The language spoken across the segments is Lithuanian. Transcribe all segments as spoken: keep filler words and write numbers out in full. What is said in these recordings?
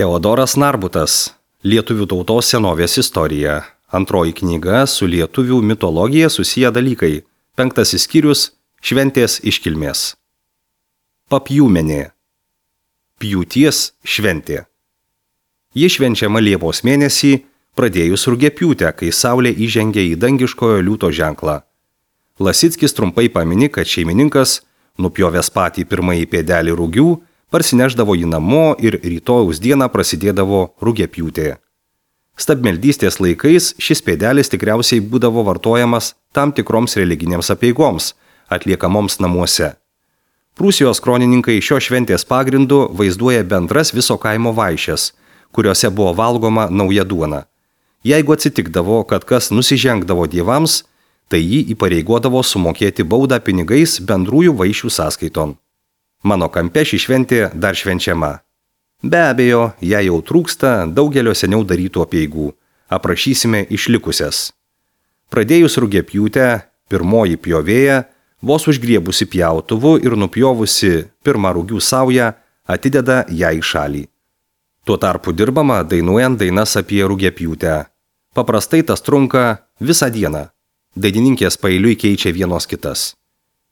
Teodoras Narbutas. Lietuvių tautos senovės istorija. Antroji knyga su lietuvių mitologija susiję dalykai. Penktasis skyrius – šventės iškilmės. Papjūmenė. Pjūties šventė. Ji švenčiama Liepos mėnesį, pradėjus rugiapjūtę, kai saulė įžengė į dangiškojo liūto ženklą. Lasickis trumpai pamini, kad šeimininkas, nupjovęs patį pirmąjį pėdelį rugių, parsineždavo jį namo ir rytojaus dieną prasidėdavo rugiapjūtė. Stabmeldystės laikais šis pėdelis tikriausiai būdavo vartojamas tam tikroms religinėms apeigoms, atliekamoms namuose. Prūsijos kronininkai šio šventės pagrindu vaizduoja bendras viso kaimo vaišes, kuriuose buvo valgoma nauja duona. Jeigu atsitikdavo, kad kas nusižengdavo dievams, tai jį įpareigodavo sumokėti baudą pinigais bendrųjų vaišių sąskaiton. Mano kampe ši šventė dar švenčiama. Be abejo, jei jau trūksta daugelio seniau darytų apeigų. Aprašysime išlikusias. Pradėjus rugiapjūtę, pirmoji pjovėja, vos užgriebusi pjautuvu ir nupjovusi pirmą rugių saują, atideda ją į šalį. Tuo tarpu dirbama dainuojant dainas apie rugiapjūtę. Paprastai tas trunka visą dieną. Dainininkės paeiliui keičia vienos kitas.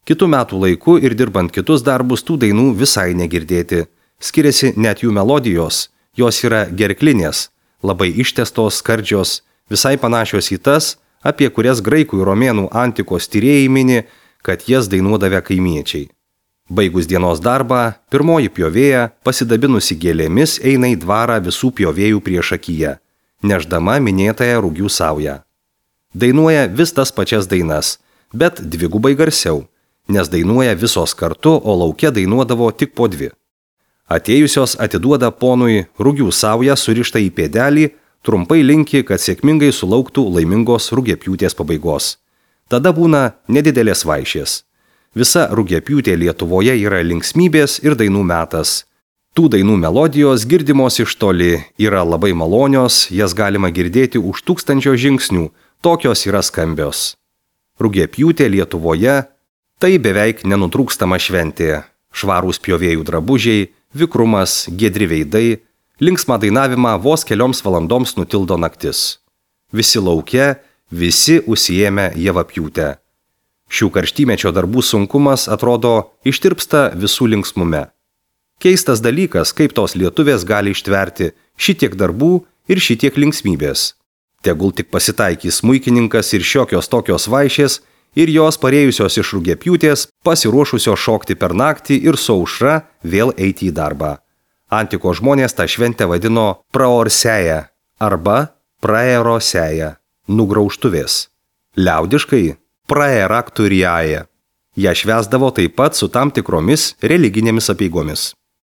Kitų metų laiku ir dirbant kitus darbus tų dainų visai negirdėti. Skiriasi net jų melodijos, jos yra gerklinės, labai ištęstos, skardžios, visai panašios į tas, apie kurias graikų ir romėnų antikos tyrėjai mini, kad jas dainuodavę kaimiečiai. Baigus dienos darbą, pirmoji pjovėja, pasidabinusi gėlėmis, eina į dvarą visų pjovėjų priešakyje, neždama minėtąją rugių saują. Dainuoja vis tas pačias dainas, bet dvigubai garsiau, nes dainuoja visos kartu, o lauke dainuodavo tik po dvi. Atėjusios atiduoda ponui rugių saują surištą į pėdelį, trumpai linki, kad sėkmingai sulauktų laimingos rugiapjūtės pabaigos. Tada būna nedidelės vaišės. Visa rugiapjūtė Lietuvoje yra linksmybės ir dainų metas. Tų dainų melodijos girdimos iš toli, yra labai malonios, jas galima girdėti už tūkstančio žingsnių, tokios yra skambios. Rugiapjūtė Lietuvoje – tai beveik nenutrūkstama šventė. Švarūs pjovėjų drabužiai, vikrumas, giedri veidai, linksmą dainavimą vos kelioms valandoms nutildo naktis. Visi lauke, visi užsiėmę javapjūtę. Šių karštimečio darbų sunkumas, atrodo, ištirpsta visų linksmume. Keistas dalykas, kaip tos lietuvės gali ištverti šitiek darbų ir šitiek linksmybės. Tegul tik pasitaikys smuikininkas ir šiokios tokios vaišės, ir jos parėjusios iš rugiapjūtės, pasiruošusios šokti per naktį ir su aušra vėl eiti į darbą. Antiko žmonės tą šventę vadino praorseja arba praeroseja, nugraužtuvės. Liaudiškai praerakturiaja. Ją švęsdavo taip pat su tam tikromis religinėmis apeigomis.